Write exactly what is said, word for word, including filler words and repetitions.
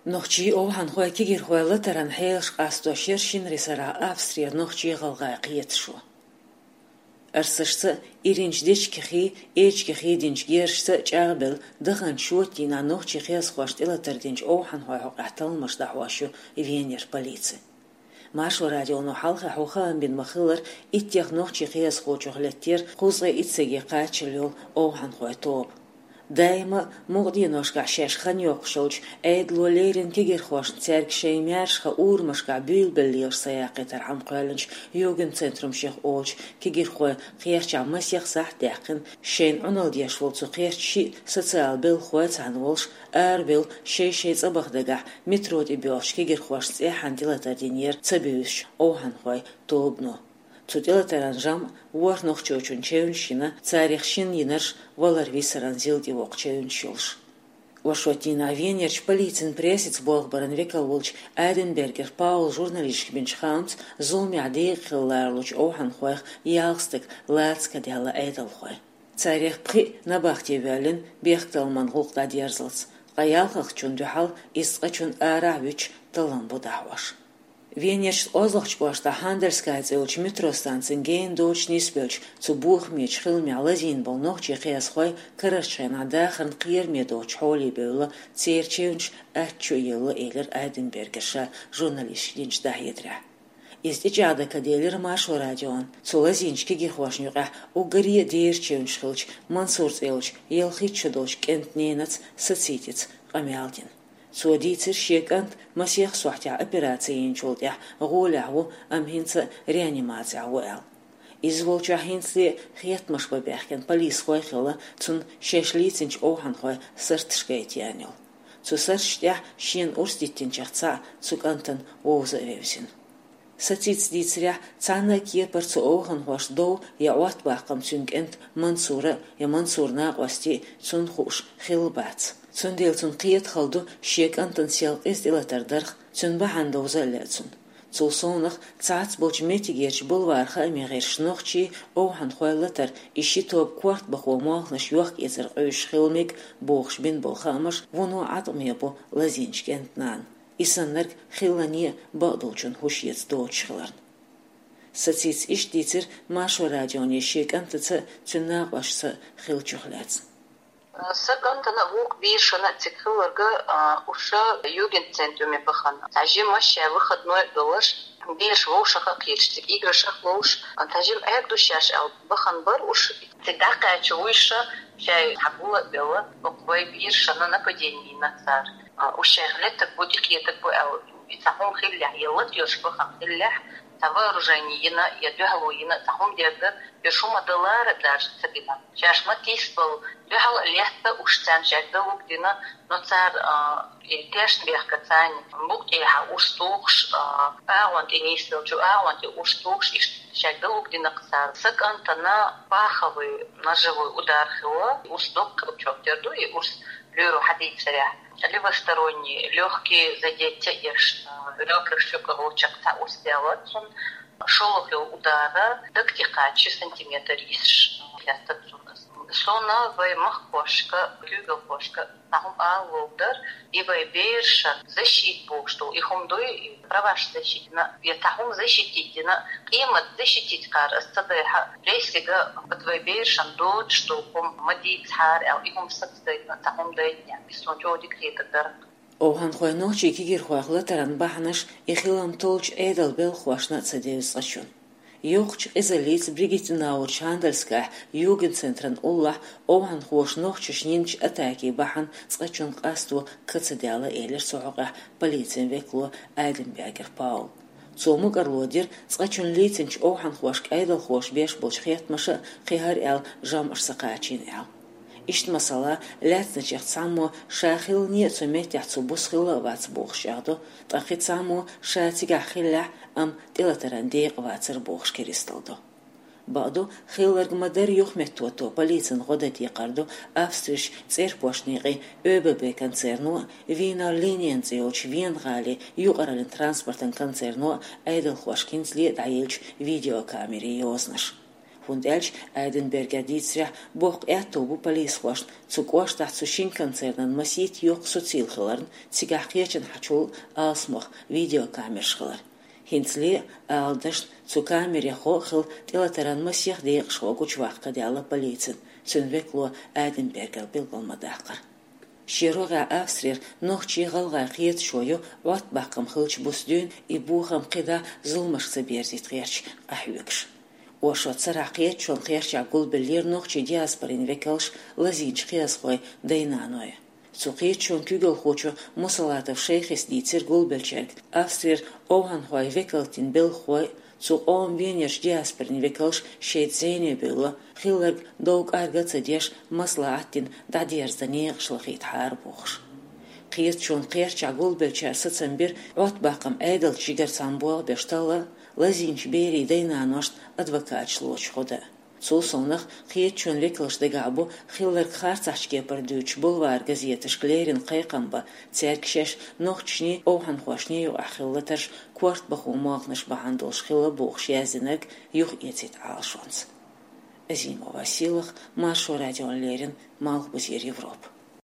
Нохчий, овхӀанхой, кегирхой латаран хьелаш къастош яр шинарин сарахь Австрера нохчий-гӀалгӀай кхеташо. Арсашца, иринчу дечигахий, эчигахий динчу герзашца чӀагӀбелла, даханчу шоттийнахь нохчий кхиазхошна тӀелатар динчу овхӀанхойн хьокъехь талламаш дӀахьош ю Венера полици. Маршо радионо хьалха хьо хаам бина ма-хиллара, иттех нохчий кхиазхочух леттера кхузткъе итт стаге кхаччалла йолу овхӀанхойн тоба. Даима а мукъа деношкахь шаьш хан йоккхуш йолчу Ӏедало леррина кегирхошна цаьрга шайн маьршаха урамашкахь буьйлабелла лелаш ца яккхийтархьама кхоьллинчу Югенцентрумех олучу кегирхойн кхерчахь масех сахьт даьккхина, шайна Ӏуналла деш волу цу кхерчан шиъ социалан белхахой цхьаьна волуш, арабевлла шай-шайн цӀа баха дагахь метро тӀе боьлхучу кегирхошна цӀеххьана тӀелатар динера ца буьйсучу овхӀанхойн тобано. Цу тӀелатаран жамӀ ворхӀ нохчочун чевнаш йина, царах шина йинарш валар-висаран зил тӀевоккху чевнаш йолуш. Оршотдийнахь Венерчу полицин прессица болх баран векал волчу Айденбергер Паула журналисташка бинчу хаамца, зуламехь декъа хилла ларалучу овхӀанхойх ялх стаг лаца кадаьлла Ӏедалхойн. Царах пхиъ набахте воьллина бехктакхаман гӀуллакх дӀадерзалц, ткъа ялхалгӀачунна дуьхьал иза цкъачунна арахь а вуьтуш таллам бу дӀахьош. Венерчу кӀеззигчу кӀоштахь Хандельская цӀе йолчу метро станцин гена доцуш нисбеллачу цу бохамечу хиламехь лазийна болу нохчий кхиазхой карарчу хенахь дахарна кхераме доцучу хьоле бевлла, церан чевнаш аттачу а елла, элира Айденбергера ша журналисташка динчу дӀахьедарехь. Иза тӀечӀагӀдан ка делира Маршо радион цу лазийначу кегирхошна юкъахь уггаре а дера чевнаш хиллачу Мансур цӀе йолчу ялхитта шо долчу кӀентан ненаца Сацицица къамел дина. Цо дийцира, шен кӀант масех сохьтехь операци йинчул тӀаьхьа гӀолехь ву, амма хӀинца реанимацехь ву аьлла. Иза волчохь хӀинцале а хеттамаш бан баьхкина полисхой а хилла, цунна шаьш лийцинчу овхӀанхойн сарташ гайта еана йолу. Цу сарташ тӀехь шена урс диттинчех цхьаъ цу кӀантана вовза а вевзина. Сацица дийцарехь, цхьана а кепара цу овхӀанхошна дов я Ӏоттабаккхам цуьнан кӀентан Мансуран я Мансуран накъостийн цунна хууш хилла бац. Цундела цунна кхета хала ду шен кӀантана сел къиза тӀелатар дарх, цуьнан бахьана довза а лаьа цунна. Цул совнаха, цхьацца болчу меттигерчу бульваран хаамийн гӀирсаша нохчий, овхӀанхой латар, и ши тоба корта бахо молханаш йохка-эцар къуьйсуш хила мега бохуш бина болу хаамаш вуно Ӏаткъаме бу лазийначу кӀентан нана. И саннарг хиллане а бакъдолчун хӀуш эца доцуш хиларна. Сацица иштта дийцира Маршо радионе шен кӀантаца а, цуьнан накъостаца а хиллачух лаьцна. Сан кӀантана а, вукху берашна а цига хилларг, а, уьш Югенцентрумехь бахана. Цхьа жима шаьш выходной а долуш, бераш вовшах а кхеташ, цига играшах а ловш, а, цхьа жима Ӏергадо шаьш аьлла бахана бара уьш. Цига дӀакхаьчча уьш шаьш цхьа гул а белла, оцу вайн берашна нападение йина цара. А, уьш шайх леттарг бу, тӀекхетарг бу аьлла, и цхьа хӀума хиллехь, я лата йолуш бахана хиллехь, цхьа вооружение йина, я дуьхьало йина, цхьа хӀума дерг дара, я шу ма далара а даже ца дина. Шаьш ма тийсабала, дуьхьал а летта уьш царна шаьш далург дина, но цара, а, и тешна бехка царна, букъ тӀехьа урс тухуш, а, агӀон тӀе нисделча, агӀон тӀе урс тухуш, иштта шаьш далург дина-кх цара. Сан кӀантана паховый, ножевой удар хилла, урс доккхачох тера ду, и урс лоьро хьадийцарехь. Левосторонние лёгкие задеть а еш, а, ребрах, щёках, лучах цхьа урс даьлла цунна. ШолгӀа йолу удара даг тӀе кхача ши сантиметр йисаш, а, лаьттара цунна. Суна вайн махкахошка, куьйгалхошка цхьа хӀума ала ловр дара, и вайн берашна защита бохуш долу и хӀума дуй, и праваш защитина, я цхьа хӀума защитить дина, къемат защитить кхара ас ца дайхьа, прессига, оцу вайн берашна доцуш долу хӀума ма дийцахьара аьлла, и хӀума сацадайтина, цхьа хӀума дайтинехь, иза суна чӀогӀа дика хетар дара. Овханхой нохчий кегирхойх латаран бахьанаш и хилам толлучу Ӏедалан белхахошна а ца девза цкъачунна. Йоккхачу къизаллица Бригиттенаурчу Хандельскахь Югенцентран уллохь овханхоша нохчашна йинчу атакийн бахьана цкъачунна къасто ка ца даьлла, элира цу хьокъехь полицин векало Айденбергер Паула. Цо мукӀарло дира цкъачунна лийцинчу овханхошка Ӏедалхоша беш болчу хеттамаша кхин хӀара аьлла жамӀаш ца кхачийна аьлла. Иштта, масала, лаьцначех цхьаммо ша хилане а цу меттехь цу буса хилла а вац бохуш чӀагӀдо, ткъа кхин цхьаммо ша цигахь хиллехь, амма тӀелатаран декъа вацара бохуш керисталдо. Бакъду, хилларг ма-дарра юхаметтото полицин гӀо дан декхар ду Австрерчу цӀерпошт некъийн ОББ концерно а, Вийнер Линен цӀе йолчу Вена гӀалин юкъараллин транспортан концерно а Ӏедалхошка хӀинцале а дӀаеллачу видеокамерийн йозанаш. ХӀунда аьлча Айденбергера дийцарехь, боккха аьттув бу полисхошна цу кӀоштахь цу шина концернан масийтта йоккха суцийла хиларна, цигахь кхечанхьачул алсамох видеокамераш хилар. ХӀинцале а, ала дашна, цу камерехь хилла тӀелатаран масех декъашхо гучуваккха даьлла полицина, цуьнан векало Айденбергера билгал ма даккхара. Шен рогӀехь Австрера нохчий, гӀалгӀай кхеташо ю Ӏоттабаккхам хиллачу буса дуьйна и бохам кхидӀа зуламашка ца берзийта гӀерташ къахьоьгуш. Оршот сарахь кхеташонан кхерчахь гулбеллера нохчийн диаспорин векалш, лазийначу кхиазхойн дай-наной. Цу кхеташонан куьйгалхочо Мусалатов Шайхис дийцира гулбеллачаьрга Австрера овхӀанхойн векалтан белхахой, цу къоман венерчу диаспорин векалш шайца зӀене бевлла, хилларг дов-кӀарга а ца деш, маслаӀат дина дӀадерзадан некъаш лахийтахьара бохуш. Кхеташонан кхерчахь гулбеллачара сацам бира Ӏоттабаккхам Ӏедалца жигара цхьаьна болх беш талла, лазийначу берийн дай-наношна адвокаташ лоцуш гӀо дан. Цул совнах, кхеташонан векалшна дагахь бу хилларг харцахьчу кепара дуьйцуш, бульвар газеташка леррина кхайкхам бан, цаьрга шаьш нохчашний, овхӀанхошний юкъахь хилла латарш корта бахо молханаш бахьана долуш хилла бохуш яздинарг юхаэцийта Ӏалашонца. Азимова Сийлаха, Маршо радиона леррина, Малхбузера Европа.